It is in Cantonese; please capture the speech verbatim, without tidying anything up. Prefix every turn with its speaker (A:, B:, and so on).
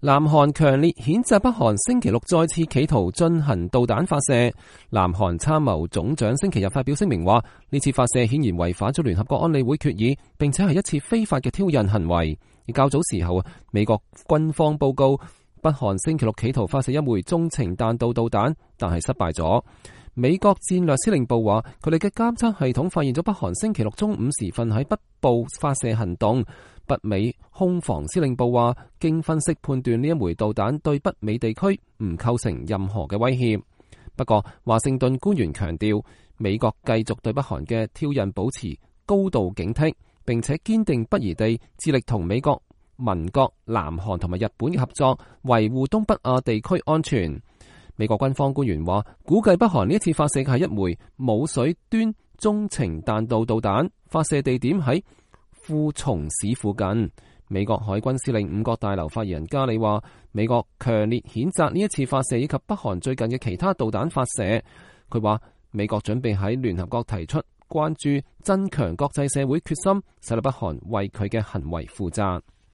A: 南韓強烈譴責北韓星期六再次企圖進行導彈發射。南韓參謀總長星期日發表聲明話，呢次發射顯然違反咗聯合國安理會決議，並且係一次非法嘅挑釁行為。而較早時候，美國軍方報告北韓星期六企圖發射一枚中程彈道導彈，但係失敗咗。美國戰略司令部話，佢哋嘅監測系統發現咗北韓星期六中午時分喺北部發射行動。北美空防司令部話，經分析判斷呢一枚導彈對北美地區唔構成任何嘅威脅。不過，華盛頓官員強調，美國繼續對北韓嘅挑釁保持高度警惕，並且堅定不移地致力同美國盟國南韓同埋日本嘅合作，維護東北亞地區安全。美國軍方官員話，估計北韓呢一次發射嘅係一枚舞水端中程彈道導彈，發射地點喺富松市附近。美國海軍司令五角大樓發言人加里話，美國強烈譴責呢一次發射以及北韓最近嘅其他導彈發射。佢話，美國準備喺聯合國提出關注，增強國際社會決心，使到北韓為佢嘅行為負責。